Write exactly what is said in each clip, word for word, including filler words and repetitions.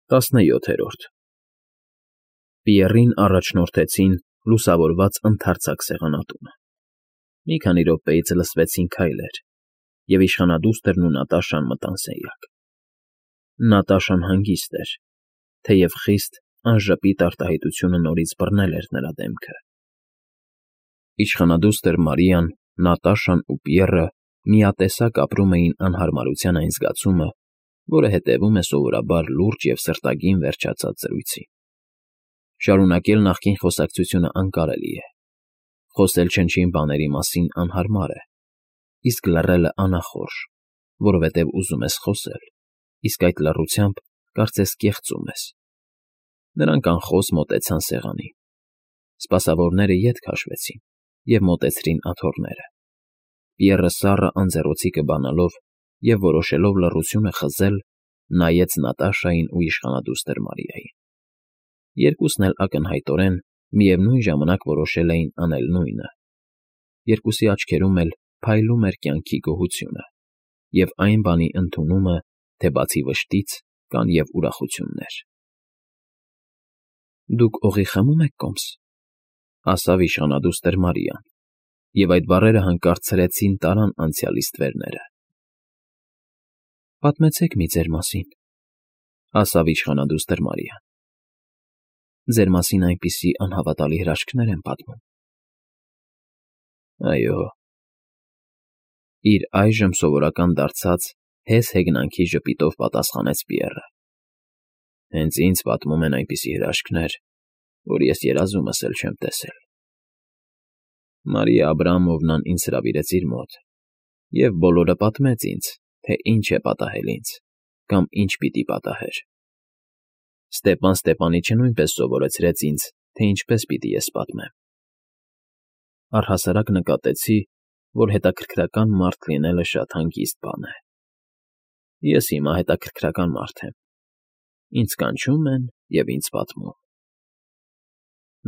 Տասնյոթերորդ Պիեռին առաջնորդեցին լուսավորված ընդարձակ սեղանատունը. մի քանի րոպեից լսվեցին քայլեր, և իշխանադուստրն ու Նատաշան մտան սենյակ. Նատաշան հանգիստ էր, թեև խիստ անժպիտ արտահայտությունը նորից բռնել էր նրա դեմքը։ Իշխանադուստր Մարիան, Նատաշան ու Պիեռը միատեսակ ապրում էին անհարմարության այն զգացումը, որը հետևում է սովորաբար լուրջ և սրտագին վերջացած զրույցի։ Շարունակել նախկին խոսակցությունը անկարելի է, խոսել չնչին բաների մասին անհարմար է, իսկ լռելը անախորժ, որովհետև ուզում ես խոսել, իսկ այդ լռությամբ կարծես կեղծում ես։ Նրանք անխոս մոտեցան սեղանին։ Սպասավորները ետ քաշվեցին և մոտեցրին աթոռները։ Պիեռը սառը անձեռոցիկը բանալով և որոշելով լռությունը խզել, նայեց Նատաշային ու իշխանադուստր Մարիային։ Երկուսն էլ ակնհայտորեն միևնույն ժամանակ որոշել էին անել նույնը։ Երկուսի աչքերում էլ փայլում էր կյանքի գոհությունը և այն բանի ընդունումը, թե բացի վշտից կան և ուրախություններ։ ֊ Դուք օղի խմում եք, կոմս,֊ ասավ իշխանադուստր Մարիան, և այդ բառերը հանկարծ ցրեցին տարան անցյալի ստվերները։ ֊ Պատմեցեք մի ձեր մասին,֊ ասավ իշխանադուստր Մարիան։ ֊ Ձեր մասին այնպիսի անհավատալի հրաշքներ են պատմում։ ֊ Այո,֊ իր այժմ սովորական դարձած հես հեգնանքի ժպիտով պատասխանեց Պիեռը,֊ հենց ինձ պատմում են այնպիսի հրաշքներ, որ ես երազումս էլ չեմ տեսել։ Մարիա Աբրամովնան ինձ հրավիրեց իր մոտ և բոլորը պատմեց ինձ, թե ինչ է պատահել ինձ կամ ինչ պիտի պատահեր։ Ստեպան Ստեպանիչը նույնպես սովորեցրեց ինձ, թե ինչպես պիտի ես պատմեմ։ Առհասարակ նկատեցի, որ հետաքրքրական մարդ լինելը շատ հանգիստ բան է։ Ես հիմա հետաքրքրական մարդ եմ, ինձ կանչում են և ինձ պատմում։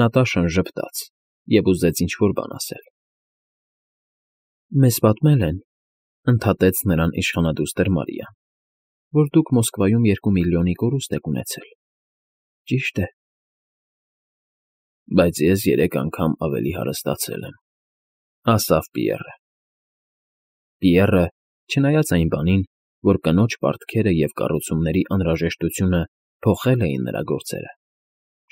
Նատաշան ժպտաց և ուզեց ինչ֊որ բան ասել։ ֊ Մեզ պատմել են,֊ ընդհատեց նրան իշխանադուստր Մարիան,֊ որ դուք Մոսկվայում երկու միլիոնի կորուստ եք ունեցել, ճի՞շտ է։ ֊ Բայց ես երեք անգամ ավելի հարստացել եմ,֊ ասավ Պիեռը։ Պիեռը, չնայած այն բանին, որ կնոջ պարտքերը և կառուցումների անհրաժեշտությունը փոխել էին նրա գործերը,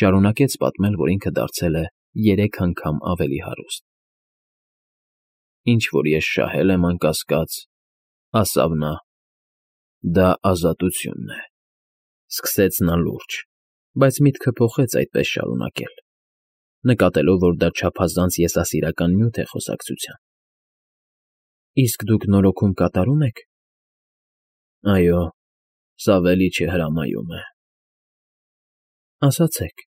շարունակեց պատմել, որ ինքը դարձել է երեք անգամ ավելի հարուստ։ ֊ Ինչ որ ես շահել եմ, անկասկած,֊ ասավ նա,֊ դա ազատությունն է,֊ սկսեց նա լուրջ, բայց միտքը փոխեց այդպես շարունակել, նկատելով, որ դա չափազանց եսասիրական նյութ է խոսակցության։ ֊ Իսկ դուք նորոգում կատարում եք։ ֊ Այո, սավելի չհրամայում է։ ֊ Ասացեք,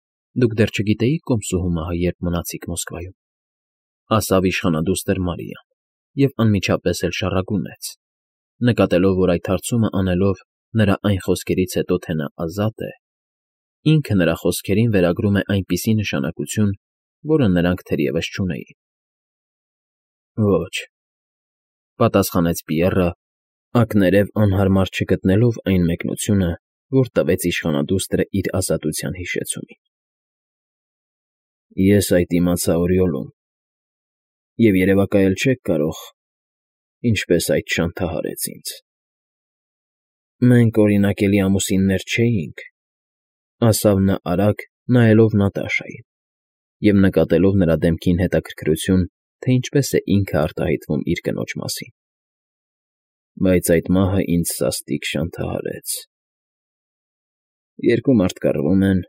դուք դեռ չգիտեիք կոմսուհու մահը, երբ մնացիք Մոսկվայում,֊ ասավ իշխանադուստր Մարիան և անմիջապես էլ շառագունեց, նկատելով, որ այդ հարցումը անելով նրա այն խոսքերից հետո, թե նա ազատ է, ինքը նրա խոսքերին վերագրում է այնպիսի նշանակություն, որը նրանք թերևս չունեին։ ֊ Ոչ,֊ պատասխանեց Պիեռը, ակներև անհարմար չգտնելով այն մեկնությունը, որ տվեց իշխանադուստրը իր ազատության հիշեցումին։ ֊ Ես այդ իմացա Օրիոլում, և երևակայել չեք կարող, ինչպես այդ չանթահարեց ինձ։ ֊ Մենք օրինակելի ամուսիններ չէինք,֊ ասավ նա արագ, նայելով Նատաշային և նկատելով նրա դեմքին հետաքրքրություն, թե ինչպես է ինքը արտահայտվում իր կնոջ մասին,֊ բայց այդ մահը ինձ սաստիկ չանթահարեց։ Երկու մարդ կռվում են,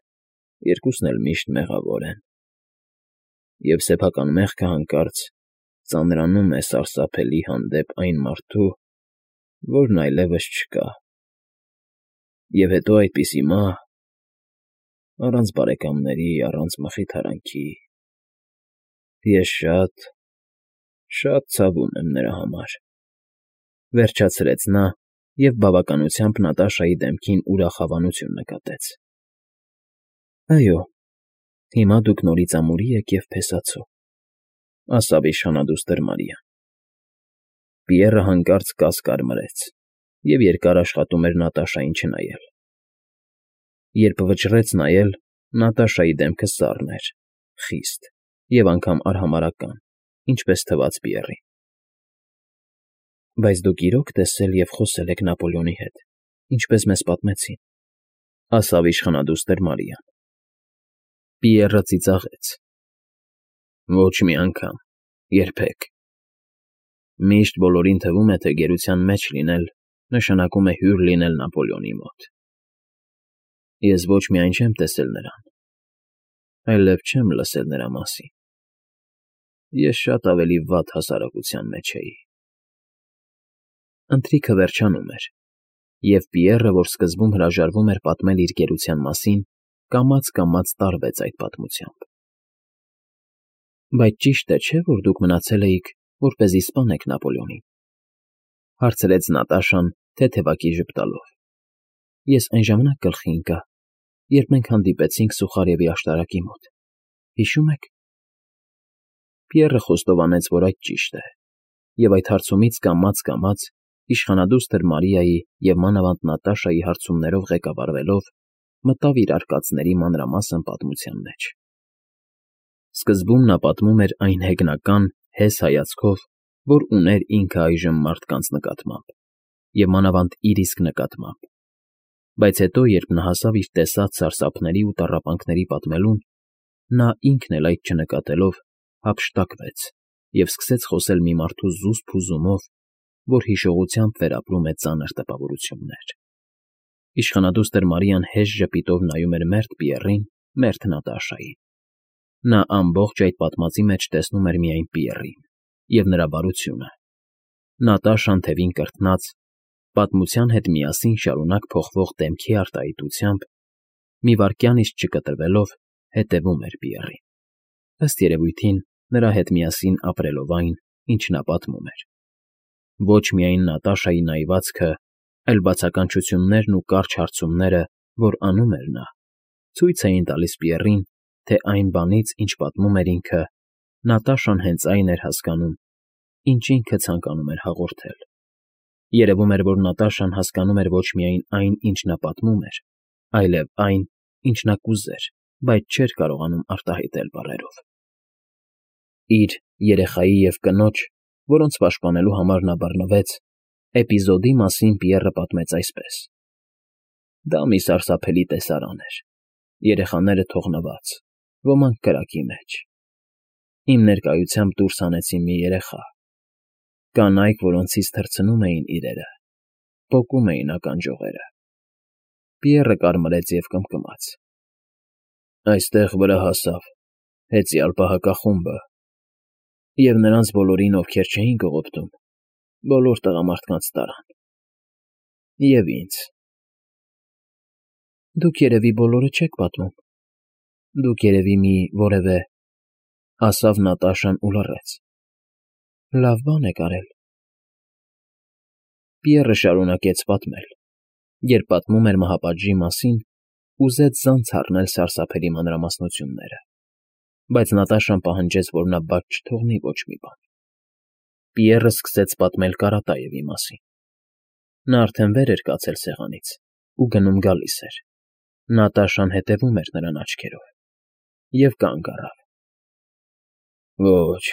երկուսն էլ միշտ մեղավոր են, և սեփական մեղքը հանկարծ ծանրանում է սարսափելի հանդեպ այն մարդու, որն այլևս չկա։ Եվ հետո այդպիսի մահ… առանց բարեկամների, առանց մխիթարանքի… Ես շատ, շատ ցավում եմ նրա համար,֊ վերջացրեց նա և բավականությամբ Նատաշայի դեմքին ուրախ հավանություն նկատեց։ ֊ Այո, հիմա դուք նորից ամուրի եք և փեսացո,֊ ասավ իշխանադուստր Մարիան։ Պիեռը հանկարծ կաս կարմրեց և երկար աշխատում էր Նատաշային չնայել։ Երբ վճռեց նայել, Նատաշայի դեմքը սառն էր, խիստ և անգամ արհամարհական, ինչպես թվաց Պիեռին։ ֊ Բայց դուք իրո՞ք տեսել և խոսել եք Նապոլեոնի հետ, ինչպես մեզ պատմեցին,֊ ասաց իշխանադուստր Մարիան։ Պիեռը ծիծաղեց. ֊ Ոչ մի անգամ, երբեք։ Միշտ բոլորին թվում է, թե գերության մեջ լինել նշանակում է հյուր լինել Նապոլեոնի մոտ։ Ես ոչ միայն չեմ տեսել նրան, այլև չեմ լսել նրա մասին։ Ես շատ ավելի վատ հասարակության մեջ էի… Ընթրիքը վերջանում էր, և Պիեռը, որ սկզբում հրաժարվում էր պատմել իր գերության մասին, կամաց֊կամաց տարվեց այդ պատմությամբ։ ֊ Բայց ճիշտ է, չէ՞, որ դուք մնացել էիք, որպեսզի սպանեք Նապոլեոնին,֊ հարցրեց Նատաշան թեթևակի ժպտալով։ Ես այն ժամանակ գլխի ընկա, երբ մենք հանդիպեցինք Սուխարևի աշտարակի մոտ, հիշո՞ւմ եք… Պիեռը խոստովանեց, որ այդ ճիշտ է, և այդ հարցումից կամաց֊կամաց, իշխանադուստր Մարիայի և մանավանդ Նատաշայի հարցումներով ղեկավարվելով, մտավ իր արկածների մանրամասն պատմության մեջ։ Սկզբում նա պատմում էր այն հեգնական, հես հայացքով, որ ուներ ինքը այժմ մարդկանց նկատմամբ, և մանավանդ իր իսկ նկատմամբ, բայց հետո, երբ նա հասավ իր տեսած սարսափների ու տառապանքների պատմելուն, նա, ինքն էլ այդ չնկատելով, հափշտակվեց և սկսեց խոսել մի մարդու զուսպ հուզումով, որ հիշողությամբ վերապրում է ծանր տպավորություններ։ Իշխանադուստր Մարիան հեշտ ժպիտով նայում էր մերթ Պիեռին, մերթ Նատաշային։ Նա ամբողջ այդ պատմածի մեջ տեսնում էր միայն Պիեռին և նրա բարությունը։ Նատաշան, թևին կրթնած, պատմության հետ միասին շարունակ փոխվող դեմքի արտահայտությամբ, մի վայրկյան իսկ չկտրվելով, հետևում էր Պիեռին, ըստ երևույթին, նրա հետ միասին ապրելով այն, ինչ նա պատմում էր։ Ոչ միայն Նատաշայի նայվածքը, այլ բացականչություններն ու կարճ հարցումները, որ անում էր նա, ցույց էին տալիս Պիեռին, թե այն բանից, ինչ պատմում էր ինքը, Նատաշան հենց այն էր հասկանում, ինչ ինքը ցանկանում էր հաղորդել։ Երևում էր, որ Նատաշան հասկանում էր ոչ միայն այն, ինչ նա պատմում էր, այլև այն, ինչ նա կուզեր, բայց չէր կարողանում արտահայտել բառերով։ Իր, երեխայի և կնոջ, որոնց պաշտպանելու համար նա բռնվեց, էպիզոդի մասին Պիեռը պատմեց այսպես. Դա մի սարսափելի տեսարան էր, երեխաները թողնված, ոմանք կրակի մեջ։ Իմ ներկայությամբ դուրս հանեցին մի երեխա, կանայք, որոնցից թռցնում էին իրերը, պոկում էին ականջողերը։ Պիեռը կարմրեց և կմկմաց. Այստեղ վրա հասավ հեծյալ պահակախումբը, և նրանց բոլորին, ովքեր չէին կողոպտում, բոլոր տղամարդկանց տարան, և ինձ։ Դուք երևի բոլորը չեք պատմում, դուք երևի մի որևէ, ասավ Նատաշան ու լռեց, լավ բան եք արել։ Պիեռը շարունակեց պատմել. երբ պատմում էր մահապատժի մասին, ուզեց զանց առնել սարսափելի մանրամասնությունները, բայց Նատաշան պահանջեց, որ նա բաց չթողնի ոչ մի բան։ Պիեռը սկսեց պատմել Կարատաևի մասին։ Նա արդեն վեր էր կացել սեղանից ու գնում֊գալիս էր։ Նատաշան հետևում էր նրան աչքերով և կանգ առավ։ Ոչ,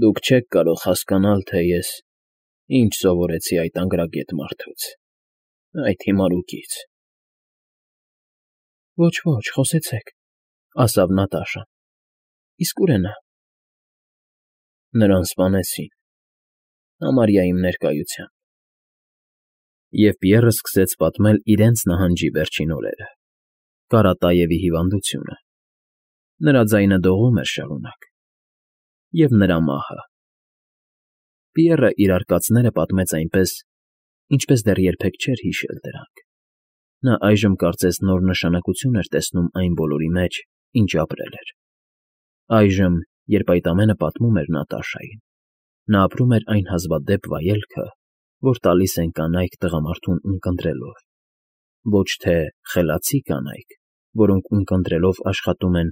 դուք չեք կարող հասկանալ, թե ես ինչ սովորեցի այդ անգրագետ մարդուց, այդ հիմարուկից… Ոչ, ոչ, խոսեցեք, ասավ Նատաշան, իսկ ուր է նա… Նրան սպանեցին, համարյա իմ ներկայությամբ։ Եվ Պիեռը սկսեց պատմել իրենց նահանջի վերջին օրերը, Կարատաևի հիվանդությունը, նրա ձայնը դողում էր շարունակ, և նրա մահը։ Պիեռը իր արկածները պատմեց այնպես, ինչպես դեռ երբեք չէր հիշել դրանք։ Նա այժմ կարծես նոր նշանակություն էր տեսնում այն բոլորի մեջ, ինչ ապրել էր։ Այժմ, երբ այդ ամենը պատմում էր Նատաշային, նա ապրում էր այն հազվադեպ վայելքը, որ տալիս են կանայք տղամարդուն ունկնդրելով, ոչ թե խելացի կանայք, որոնք ունկնդրելով աշխատում են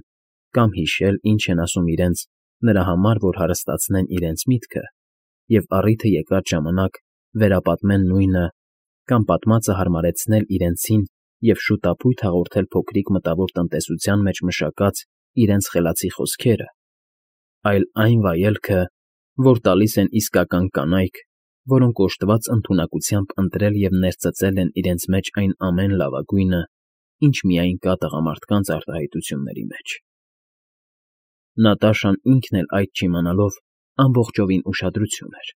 կամ հիշել, ինչ են ասում իրենց, նրա համար, որ հարստացնեն իրենց միտքը և առիթը եկած ժամանակ վերապատմեն նույնը կամ պատմածը հարմարեցնել իրենցին և շուտափույթ հաղորդել փոքրիկ մտավոր տնտեսության մեջ մշակած իրենց խելացի խոսքերը, այլ այն վայելքը, որ տալիս են իսկական կանայք, որոնք օժտված ընդունակությամբ ընտրել և ներծծել են իրենց մեջ այն ամեն լավագույնը, ինչ միայն կա տղամարդկանց արտահայտությունների մեջ։ Նատաշան ինքն էլ այդ չիմանալով ամբողջովին ուշադրություն էր։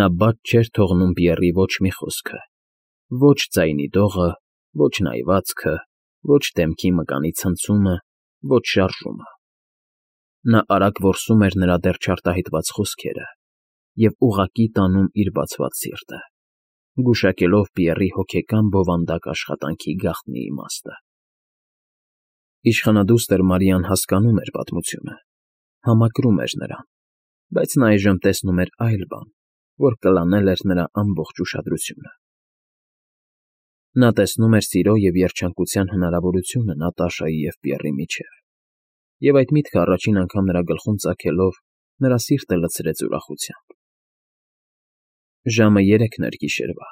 Նա բաց չէր թողնում Պիեռի ոչ մի խոսքը, ոչ ձայնի դողը, ոչ նայվածքը, ոչ դեմքի մկանի ցնցումը, ոչ շարժումը։ Նա արագ որսում էր նրա դեռ չարտահայտված խոսքերը և ուղղակի տանում իր բացված սիրտը, գուշակելով Պիեռի հոգեկան բովանդակ աշխատանքի գաղտնի իմաստը։ Իշխանադուստր Մարիան հասկանում էր պատմությունը, համակրում էր նրան, բայց նա այժմ տեսնում էր այլ բան, որ կլանել էր նրա ամբողջ ուշադրությունը։ Նա տեսնում էր սիրո և երջանկության հնարավորությունը Նատաշայի և Պիեռի միջև, և այդ միտքը առաջին անգամ նրա գլխում ծագելով նրա սիրտը լցրեց ուրախությամբ։ Ժամը երեքն էր գիշերվա։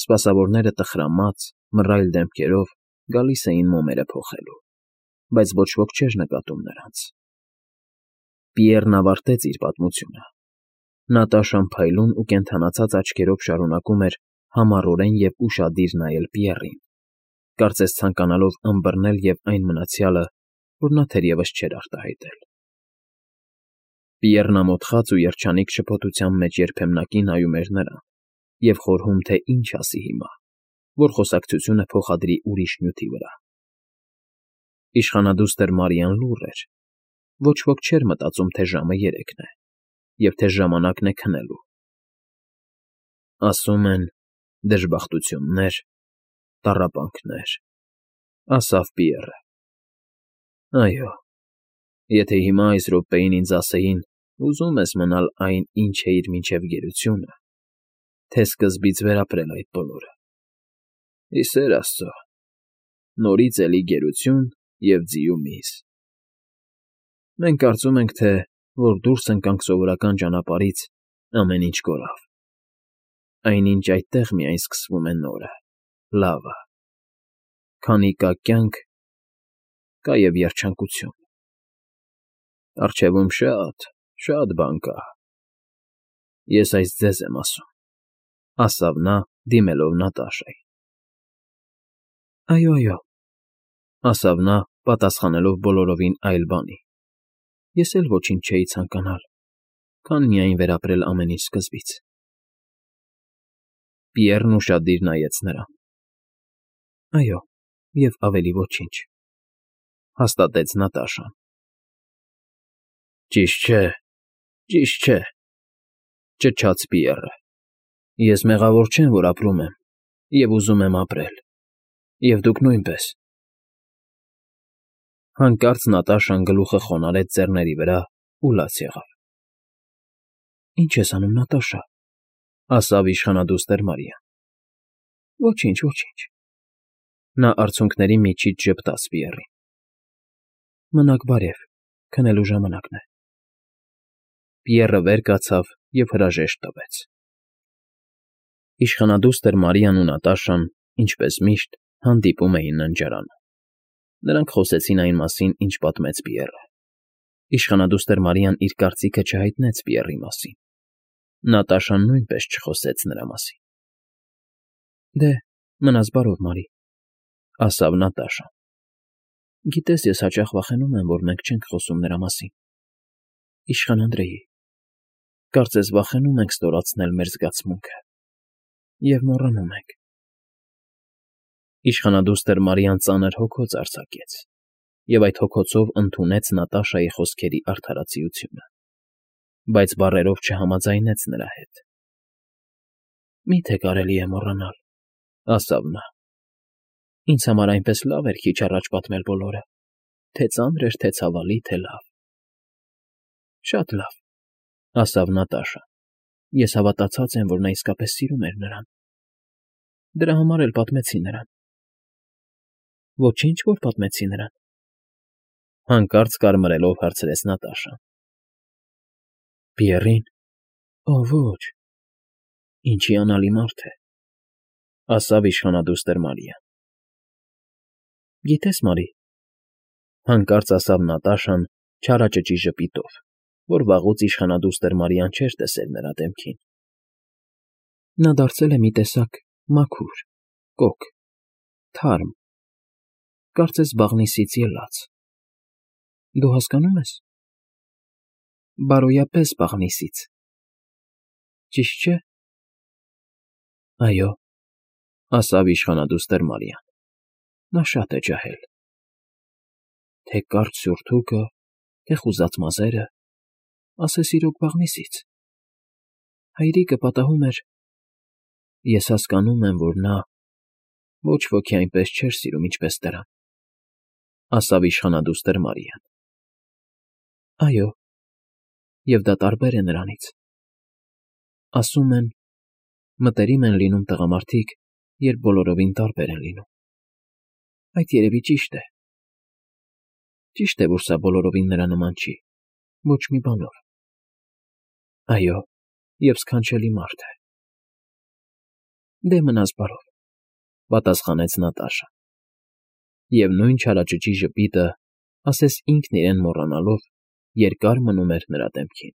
Սպասավորները տխրամած, մռայլ դեմքերով գալիս էին մոմերը փոխելու, բայց ոչ ոք չէր նկատում նրանց։ Պիեռն ավարտեց իր պատմությունը։ Նատաշան փայլուն ու կենդանացած աչքերով շարունակում էր համառորեն և ուշադիր նայել Պիեռին, կարծես ցանկանալով ըմբռնել և այն մնացյալը, որ նա թերևս չէր արտահայտել։ Պիեռն ամոթխած ու երջանիկ շփոթության մեջ երբեմնակի նայում էր նրան և խորհում, թե ինչ ասի հիմա, որ խոսակցությունը փոխադրի ուրիշ նյութի վրա։ Իշխանադուստր Մարիան լուռ էր։ Ոչ ոք չէր մտածում, թե ժամը երեքն է, և թե ժամանակն է քնելու։ Ասում են՝ դժբախտություններ, տառապանքներ, ֊ ասավ Պիեռը։ Այո, եթե հիմա այս րոպեին ինձ ասեին՝ ուզո՞ւմ ես մնալ այն, ինչ էիր մինչև գերությունը, թե սկզբից վերապրել այդ բոլորը։ Ի սեր Աստծո, նորից էլի գերություն և ձիու միս։ Մենք կարծում ենք, թե որ դուրս ընկանք սովորական ճանապարհից, ամեն ինչ կորավ։ Այնինչ այդտեղ միայն սկսվում է նորը, լավը։ Քանի կա կյանք, կա և երջանկություն։ Առջևում շատ, շատ բան կա։ Ես այս ձեզ եմ ասում, ֊ ասավ նա, դիմելով Նատաշային։ Այո, այո, ֊ ասավ նա, պատասխանելով բոլորովին այլ բանի։ Ես էլ ոչինչ չէի ցանկանալ, քան միայն վերապրել ամեն ինչ սկզբից։ Պիեռն ուշադիր նայեց նրան։ Այո, և ավելի ոչինչ, ֊ հաստատեց Նատաշան։ Ճիշտ չէ, ճիշտ չէ, ֊ ճչաց Պիեռը։ Ես մեղավոր չեմ, որ ապրում եմ և ուզում եմ ապրել, և դուք նույնպես։ Հանկարծ Նատաշան գլուխը խոնարհեց ձեռների վրա ու լաց եղավ։ Ի՞նչ ես անում, Նատաշա, ֊ ասավ իշխանադուստր Մարիան։ Ոչինչ, ոչինչ։ Նա արցունքների միջից ժպտաց Պիեռին։ Մնաք բարև, քնելու ժամանակն է։ Պիեռը վեր կացավ և հրաժեշտ տվեց։ Իշխանադուստր Մարիան ու Նատաշան, ինչպես միշտ, հանդիպում էին ննջարանում։ Նրանք խոսեցին այն մասին, ինչ պատմեց Պիեռը։ Իշխանադուստր Մարիան իր կարծիքը չհայտնեց Պիեռի մասին։ Նատաշան նույնպես չխոսեց նրա մասին։ Դե, մնաս բարով, Մարի, ֊ ասավ Նատաշան։ Գիտես, ես հաճախ վախենում եմ, որ մենք չենք խոսում նրա մասին։ Իշխան Անդրեի, կարծես վախենում ենք ստորացնել մեր զգացմունքը և մոռանում ենք։ Իշխանադուստր Մարիան ծանր հոգոց արձակեց և այդ հոգոցով ընդունեց Նատաշայի խոսքերի արդարացիությունը, բայց բառերով չհամաձայնեց նրա հետ։ Մի՞թե կարելի է մոռանալ, ֊ ասավ նա։ Ինձ համար այնպես լավ էր քիչ առաջ պատմել բոլորը, թե ծանր էր, թե ցավալի, թե լավ։ Շատ լավ, ֊ ասավ Նատաշան։ Ես հավատացած եմ, որ նա իսկապես սիրում էր նրան։ Դրա համար էլ պատմեցի նրան։ Ոչինչ, որ պատմեցի նրան, ֊ հանկարծ կարմրելով հարցրեց Նատաշան։ Պիեռին։ Օ, ոչ։ Ինչ հիանալի մարդ է, ֊ ասավ իշխանադուստր Մարիան։ Գիտես, Մարի,֊ հանկարծ ասաց Նատաշան չարաճճի ժպիտով, որ վաղուց իշխանադուստր Մարիան չէր տեսել նրա դեմքին,֊ նա դարձել է մի տեսակ մաքուր, կոկ, թարմ, կարծես բաղնիցից ելած… Դու հասկանո՞ւմ ես… Բարոյապես բաղնիցից… Ճիշտ չէ՞… ֊ Այո,֊ ասաց իշխանադուստր Մարիան,֊ նա շատ է ջահել… Թե կարճ սուրթուկը, թե խուզած մազերը… ասես իրոք բաղնիցից… Հայրիկը պատահում էր… Ես հասկանում եմ, որ նա ոչ ոքի այնպես չէր սիրում, ինչպես տղան,֊ ասաց իշխանադուստր Մարիան,֊ այո, և դա տարբեր է նրանից… Ասում են, մտերիմ են լինում տղամարդիկ, երբ բոլորովին տարբեր են լինում… Այդ երևի ճիշտ է… Ճիշտ է, որ սա բոլորովին նրա նման չի, ոչ մի բանով… Այո, և սքանչելի մարդ է… Դե, մնաս բարով,֊ պատասխանեց Նատաշան, և նույն չարաճճի ժպիտը, ասես ինքն իրեն մոռանալով, երկար մնում էր նրա դեմքին։